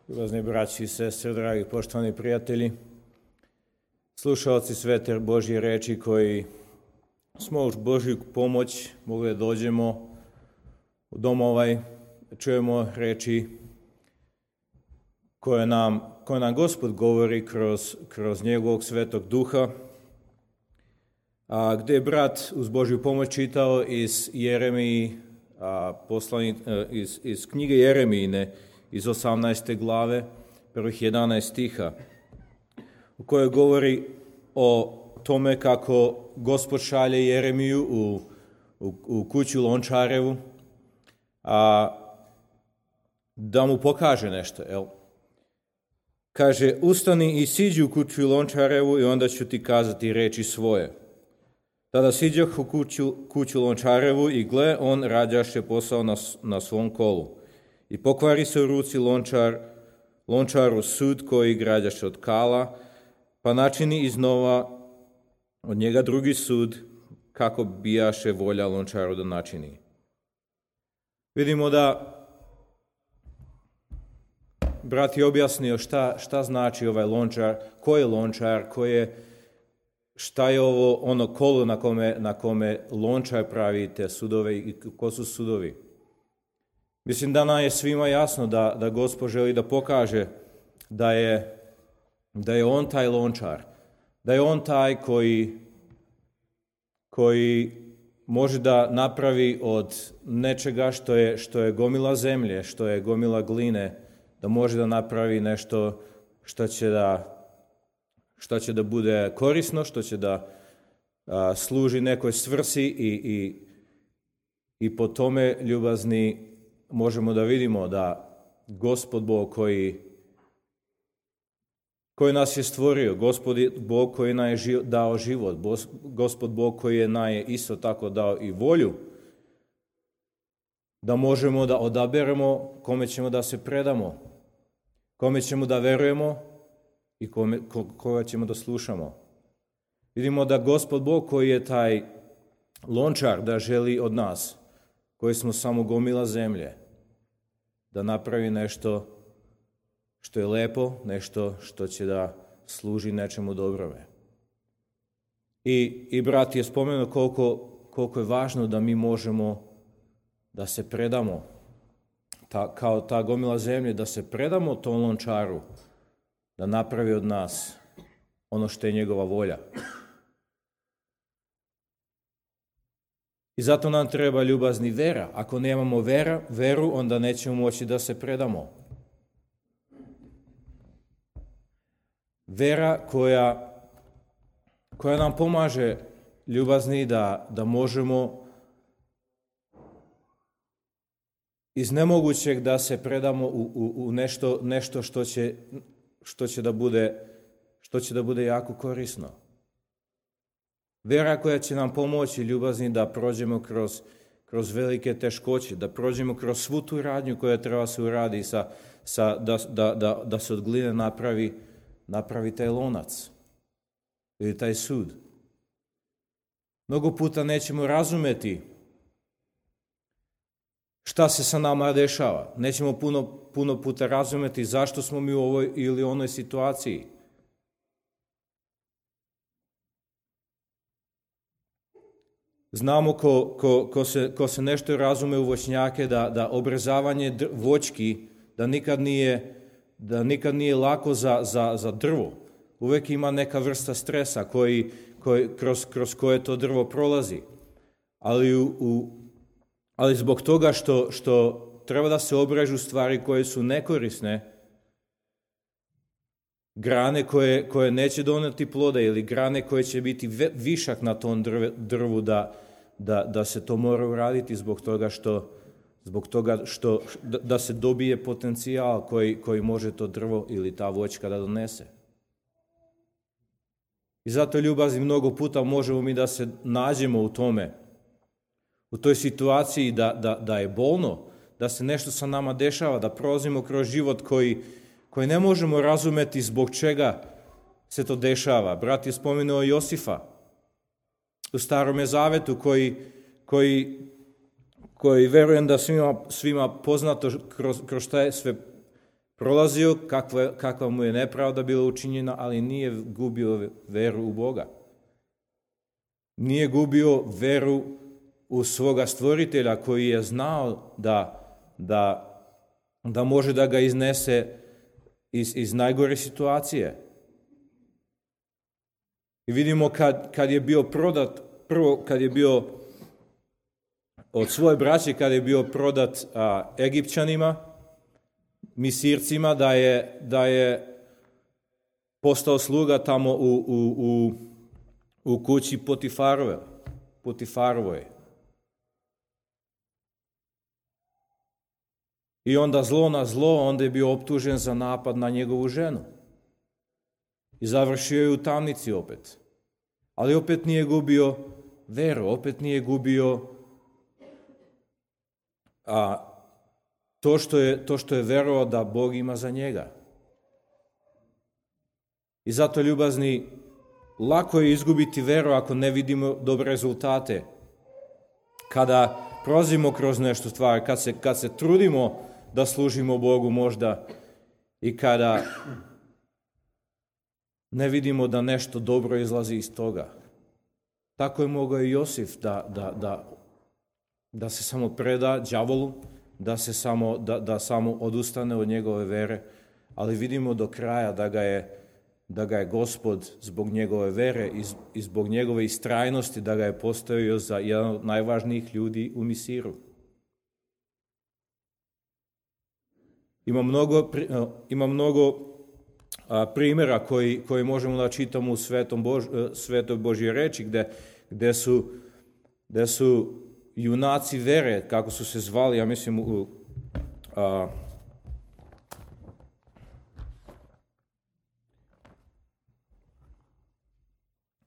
Ljubazni braći i sestre, dragi poštovani prijatelji, slušaoci svete Božje reči koji smo uz Božju pomoć mogli da dođemo u dom ovaj, čujemo reči koje nam Gospod govori kroz njegovog svetog duha, a gdje je brat uz Božju pomoć čitao iz Jeremiji, iz knjige Jeremijine, iz 18. glave, prvih 11 stiha, u kojoj govori o tome kako Gospod šalje Jeremiju u kuću Lončarevu, da mu pokaže nešto. Jel? Kaže, ustani i siđi u kuću Lončarevu i onda ću ti kazati reči svoje. Tada siđoh u kuću Lončarevu i gle, on rađaše posao na svom kolu. I pokvari se u ruci Lončaru sud koji građaše od kala, pa načini iznova od njega drugi sud, kako bijaše volja Lončaru da načini. Vidimo da brat je objasnio šta znači ovaj Lončar, ko je Lončar, šta je ovo ono kolo na kome Lončar pravi te sudove i ko su sudovi. Mislim da nam je svima jasno da Gospod želi da pokaže da je on taj Lončar, da je on taj koji može da napravi od nečega što je gomila zemlje, što je gomila gline, da može da napravi nešto što će da bude korisno, što će da služi nekoj svrsi i po tome, ljubazni, možemo da vidimo da Gospod Bog koji nas je stvorio, Gospod Bog koji nam je dao život, Gospod Bog koji nam je isto tako dao i volju, da možemo da odaberemo kome ćemo da se predamo, kome ćemo da verujemo i koga ćemo da slušamo. Vidimo da Gospod Bog koji je taj Lončar, da želi od nas, koji smo samo gomila zemlje, da napravi nešto što je lepo, nešto što će da služi nečemu dobrome. I brat je spomenuo koliko je važno da mi možemo da se predamo, kao ta gomila zemlje, da se predamo tom Lončaru, da napravi od nas ono što je njegova volja. I zato nam treba, ljubazni, vera. Ako nemamo veru, onda nećemo moći da se predamo. Vera koja nam pomaže, ljubazni, da možemo iz nemogućeg da se predamo u nešto što će da bude jako korisno. Vera koja će nam pomoći, ljubazni, da prođemo kroz velike teškoće, da prođemo kroz svu tu radnju koja treba se uradi, da se od gline napravi taj lonac ili taj sud. Mnogo puta nećemo razumeti šta se sa nama dešava. Nećemo puno puta razumeti zašto smo mi u ovoj ili onoj situaciji. Znamo ko se nešto razume u voćnjake, da obrezavanje voćki, da nikad nije lako za drvo. Uvijek ima neka vrsta stresa kroz koje to drvo prolazi. Ali zbog toga što treba da se obrežu stvari koje su nekorisne, grane koje neće doneti plode ili grane koje će biti višak na tom drvu, da se to mora uraditi zbog toga što da se dobije potencijal koji može to drvo ili ta voćka da donese. I zato, ljubazni, mnogo puta možemo mi da se nađemo u tome, u toj situaciji da je bolno, da se nešto sa nama dešava, da prolazimo kroz život koji ne možemo razumeti zbog čega se to dešava. Brat je spomenuo Josifa u Starome zavetu koji verujem da svima poznato kroz šta je sve prolazio, kakva mu je nepravda bila učinjena, ali nije gubio veru u Boga. Nije gubio veru u svoga stvoritelja koji je znao da može da ga iznese iz najgore situacije. I vidimo kad je bio prodat, prvo kad je bio od svoje braće, kad je bio prodat Egipćanima, Misircima, da je postao sluga tamo u kući Potifarovoj. I onda zlo na zlo, onda je bio optužen za napad na njegovu ženu. I završio je u tamnici opet. Ali opet nije gubio veru, opet nije gubio to što je verovao da Bog ima za njega. I zato, ljubazni, lako je izgubiti veru ako ne vidimo dobre rezultate. Kada prolazimo kroz nešto stvari, kad se trudimo da služimo Bogu možda i kada ne vidimo da nešto dobro izlazi iz toga. Tako je mogao i Josif da se samo preda đavolu, da samo odustane od njegove vere, ali vidimo do kraja da ga je Gospod zbog njegove vere i zbog njegove istrajnosti da ga je postavio za jedan od najvažnijih ljudi u Misiru. Ima mnogo primjera koji možemo da čitamo u Svetoj Božjoj reči, gde su junaci vere, kako su se zvali, ja mislim u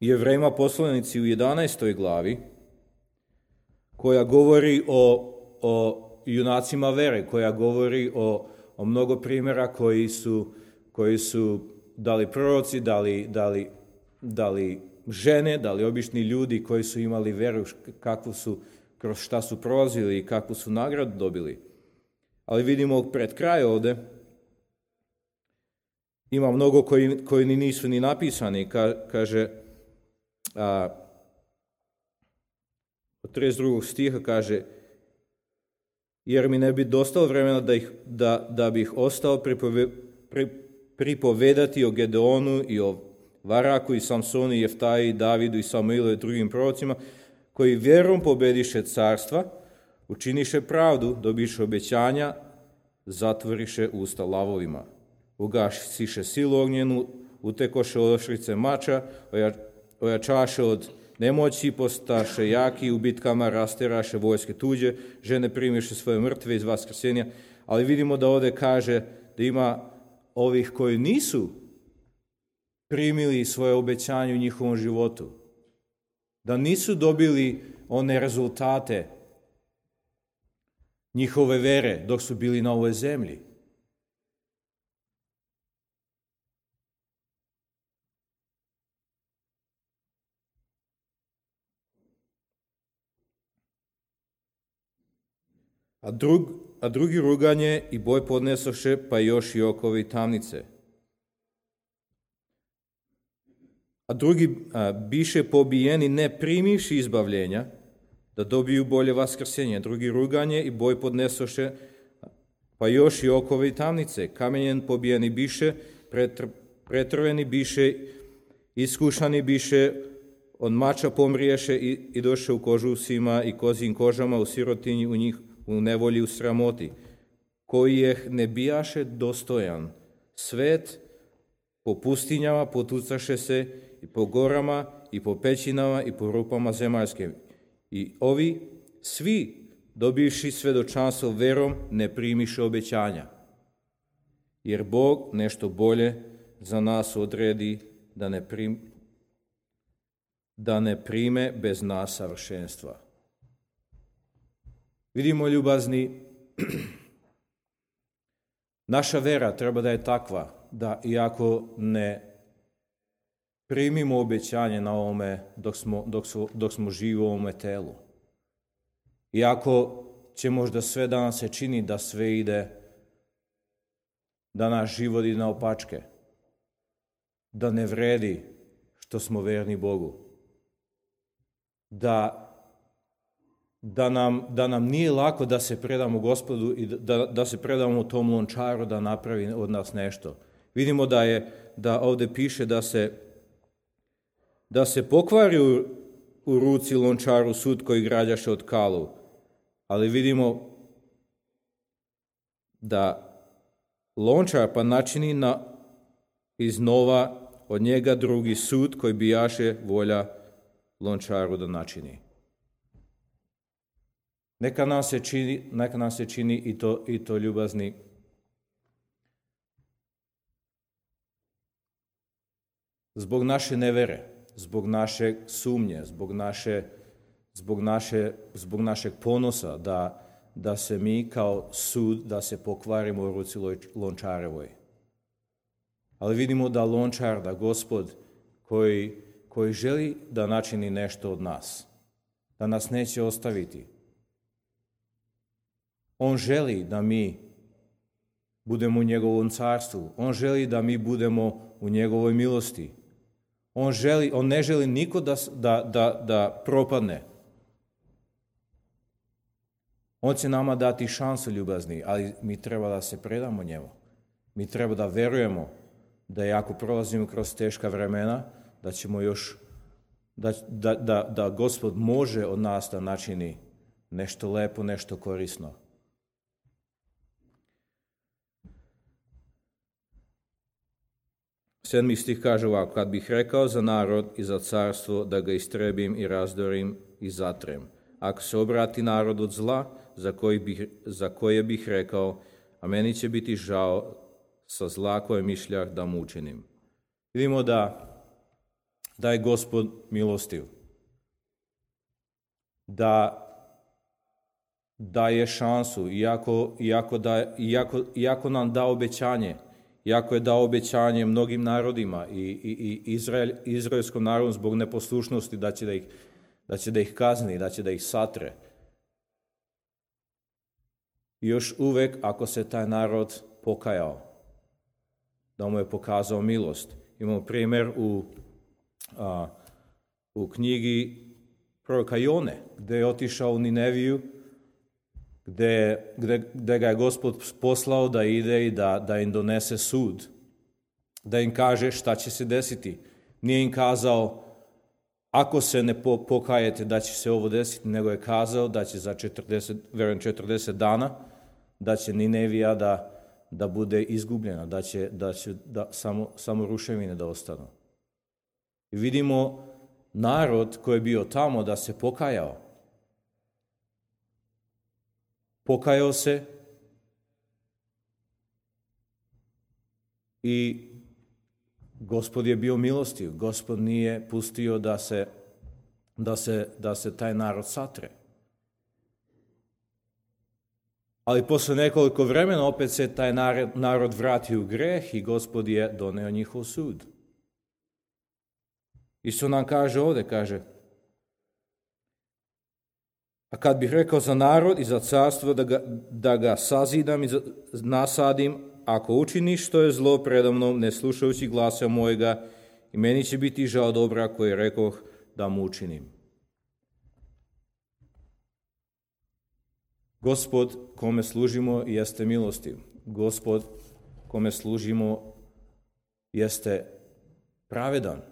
Jevrejima poslanici u 11. glavi, koja govori o junacima vere, koja govori o mnogo primjera koji su dali proroci, dali žene, dali obični ljudi koji su imali veru, kroz šta su prolazili i kakvu su nagradu dobili. Ali vidimo pred kraj ovde, ima mnogo koji nisu ni napisani, kaže, od 32. stiha kaže, jer mi ne bi dostalo vremena da bih ostao pripovedati o Gedeonu i o Varaku i Samsonu i Jeftaji i Davidu i Samuilu i drugim prorocima, koji vjerom pobediše carstva, učiniše pravdu, dobiše obećanja, zatvoriše usta lavovima, ugasiše silu ognjenu, utekoše oštrice mača, ojačaše od nemoći, postaše jaki, u bitkama rasteraše vojske tuđe, žene primiše svoje mrtve iz vaskrsenja, ali vidimo da ovdje kaže da ima ovih koji nisu primili svoje obećanje u njihovom životu, da nisu dobili one rezultate njihove vere dok su bili na ovoj zemlji. A drugi ruganje i boj podnesoše, pa još i okovi tamnice. A drugi biše pobijeni ne primivši izbavljenja, da dobiju bolje vaskrsenje. Drugi ruganje i boj podnesoše, pa još i okovi tamnice. Kamenjen pobijeni biše, pretrveni biše, iskušani biše, od mača pomriješe i doše u kožusima i kozijim kožama, u sirotinji, u njih, u nevolji, u sramoti, koji je ne bijaše dostojan. Svet po pustinjama potucaše se i po gorama i po pećinama i po rupama zemaljskim. I ovi svi, dobivši svedočanstvo verom, ne primiše obećanja. Jer Bog nešto bolje za nas odredi da ne prime bez nas savršenstva. Vidimo, ljubazni, naša vera treba da je takva da iako ne primimo obećanje na ovome dok smo živi u ovome telu, iako će možda sve danas se čini da sve ide da naš život ide naopačke, da ne vredi što smo verni Bogu, da nam nije lako da se predamo Gospodu i da se predamo tom lončaru da napravi od nas nešto. Vidimo da ovdje piše da se pokvari u ruci lončaru sud koji građaše od kalu, ali vidimo da lončar pa načini iznova od njega drugi sud koji bijaše volja lončaru da načini. Neka nam se čini i to ljubazni zbog naše nevere, zbog naše sumnje, zbog našeg ponosa da se mi kao sud da se pokvarimo u ruci lončarevoj. Ali vidimo da lončar, da Gospod koji želi da načini nešto od nas, da nas neće ostaviti. On želi da mi budemo u njegovom carstvu. On želi da mi budemo u njegovoj milosti. On ne želi niko da propadne. On će nama dati šansu, ljubazni, ali mi treba da se predamo njemu. Mi treba da verujemo da ako prolazimo kroz teška vremena, da ćemo još, da Gospod može od nas da načini nešto lepo, nešto korisno. Sedmi stih kaže ovako: kad bih rekao za narod i za carstvo da ga istrebim i razdorim i zatrem, ako se obrati narod od zla za koje bih rekao, a meni će biti žao sa zla koje mišljah da mu učinim. Vidimo da je Gospod milostiv, da daje šansu, iako nam da obećanje, iako je dao obećanje mnogim narodima i izraelskom narodu zbog neposlušnosti da će da ih kazni, da će da ih satre. Još uvek, ako se taj narod pokajao, da mu je pokazao milost. Imamo primjer u knjigi proroka Jone, gdje je otišao u Nineviju, gdje ga je Gospod poslao da ide i da im donese sud, da im kaže šta će se desiti. Nije im kazao, ako se ne pokajete da će se ovo desiti, nego je kazao da će za 40 dana, da će Ninevija da bude izgubljena, da će samo ruševine da ostanu. I vidimo narod koji je bio tamo da se pokajao. Pokajao se i Gospod je bio milostiv. Gospod nije pustio da se taj narod satre. Ali posle nekoliko vremena opet se taj narod vratio u greh i Gospod je doneo njihov sud. Isto nam kaže ovdje, kaže: a kad bih rekao za narod i za carstvo da ga sazidam i nasadim, ako učiniš što je zlo predamnom, ne slušajući glasa mojega, i meni će biti žao dobra koje rekoh da mu učinim. Gospod kome služimo jeste milostiv. Gospod kome služimo jeste pravedan.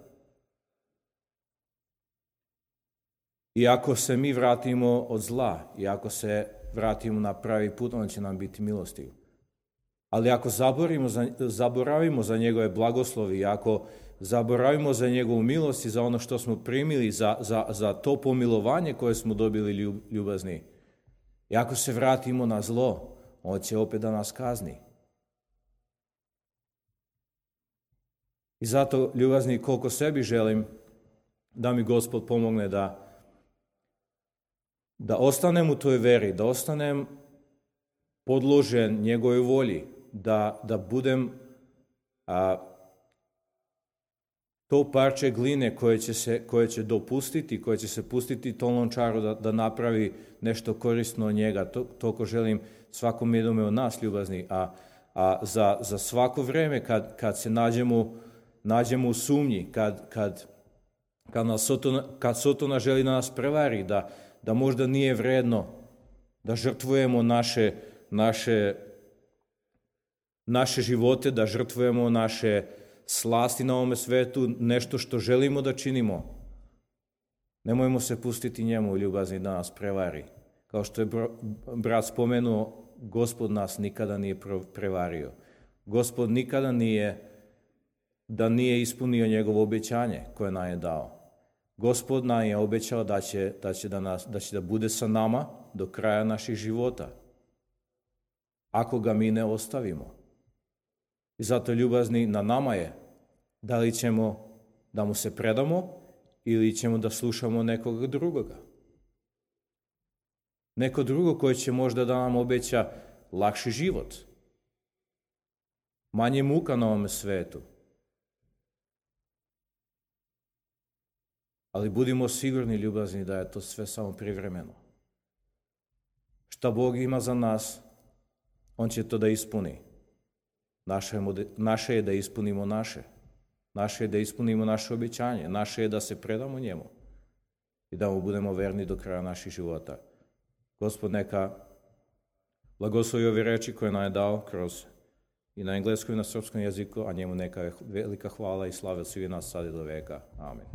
I ako se mi vratimo od zla, i ako se vratimo na pravi put, on će nam biti milostiv. Ali ako zaboravimo za njegove blagoslovi, ako zaboravimo za njegovu milost i za ono što smo primili, za to pomilovanje koje smo dobili ljubazni, i ako se vratimo na zlo, on će opet da nas kazni. I zato, ljubazni, koliko sebi želim da mi Gospod pomogne da ostanem u toj veri, da ostanem podložen njegovoj volji, da budem to parče gline koje će dopustiti, koje će se pustiti tom lončaru da napravi nešto korisno od njega. Toliko želim svakom jednome od nas, ljubazni. A A za svako vreme kad se nađemo u sumnji, kad Sotona želi da nas prevari, da možda nije vredno da žrtvujemo naše živote, da žrtvujemo naše slasti na ovome svetu, nešto što želimo da činimo. Nemojmo se pustiti njemu, ljubazni, da nas prevari. Kao što je brat spomenuo, Gospod nas nikada nije prevario. Gospod nikada nije ispunio njegovo obećanje koje nam je dao. Gospod nam je obećao da će da bude sa nama do kraja naših života, ako ga mi ne ostavimo. I zato, ljubazni, na nama je da li ćemo da mu se predamo ili ćemo da slušamo nekoga drugoga. Neko drugo koji će možda da nam obeća lakši život, manje muka na ovome svetu. Ali budimo sigurni, ljubazni, da je to sve samo privremeno. Šta Bog ima za nas, On će to da ispuni. Naše je da ispunimo naše. Naše je da ispunimo naše obećanje. Naše je da se predamo njemu i da mu budemo verni do kraja naših života. Gospod neka blagoslovi ove reči koje nam je dao kroz i na engleskom i na srpskom jeziku, a njemu neka velika hvala i slava svih nas sad i do veka. Amen.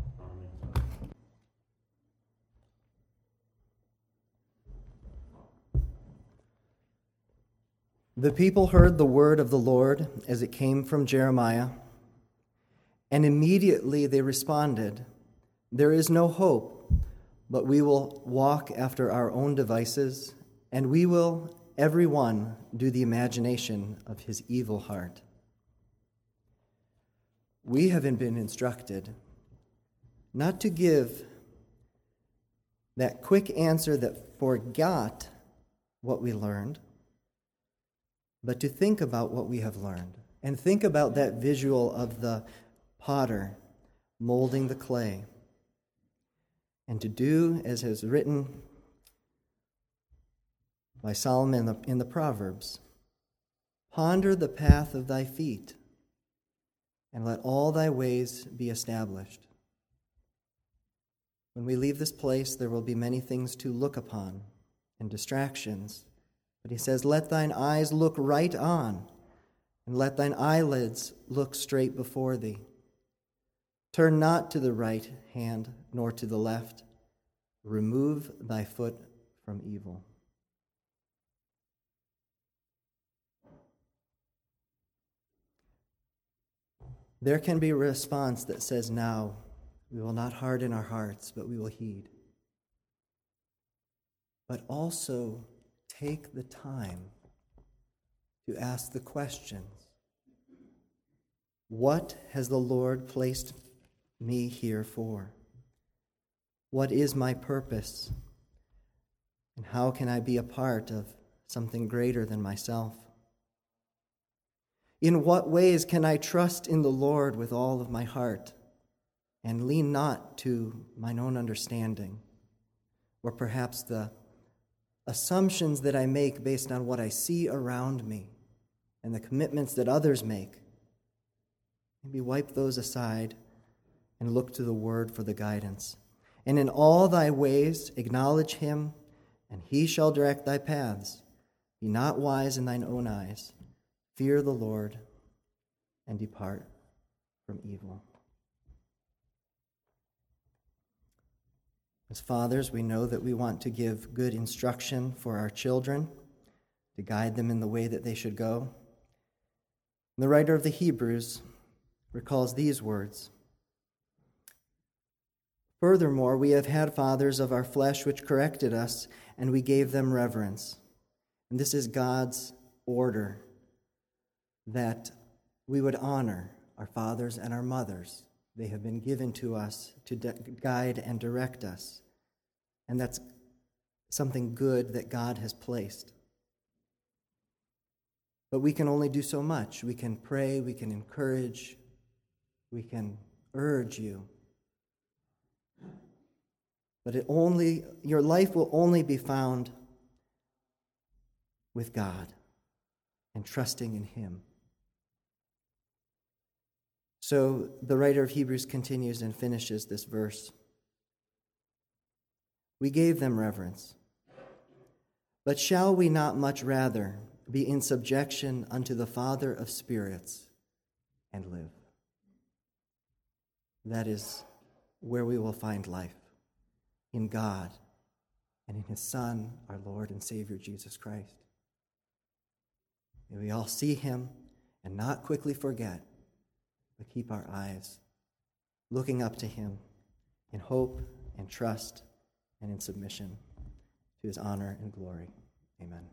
The people heard the word of the Lord as it came from Jeremiah, and immediately they responded, "There is no hope, but we will walk after our own devices, and we will, every one, do the imagination of his evil heart." We have been instructed not to give that quick answer that forgot what we learned, but to think about what we have learned and think about that visual of the potter molding the clay, and to do as is written by Solomon in the Proverbs, "Ponder the path of thy feet, and let all thy ways be established." When we leave this place, there will be many things to look upon and distractions. But he says, "Let thine eyes look right on, and let thine eyelids look straight before thee. Turn not to the right hand, nor to the left. Remove thy foot from evil." There can be a response that says, "Now, we will not harden our hearts, but we will heed." But also, take the time to ask the questions. What has the Lord placed me here for? What is my purpose? And how can I be a part of something greater than myself? In what ways can I trust in the Lord with all of my heart and lean not to mine own understanding, or perhaps the assumptions that I make based on what I see around me and the commitments that others make? Maybe wipe those aside and look to the Word for the guidance. "And in all thy ways acknowledge him, and he shall direct thy paths. Be not wise in thine own eyes. Fear the Lord, and depart from evil." As fathers, we know that we want to give good instruction for our children, to guide them in the way that they should go. And the writer of the Hebrews recalls these words, "Furthermore, we have had fathers of our flesh which corrected us, and we gave them reverence." And this is God's order, that we would honor our fathers and our mothers. They have been given to us to guide and direct us. And that's something good that God has placed. But we can only do so much. We can pray, we can encourage, we can urge you. But your life will only be found with God. and trusting in him. So the writer of Hebrews continues and finishes this verse. We gave them reverence, but shall we not much rather be in subjection unto the Father of spirits and live? That is where we will find life, in God and in his Son, our Lord and Savior, Jesus Christ. May we all see him and not quickly forget, but keep our eyes looking up to him in hope and trust and in submission to his honor and glory. Amen.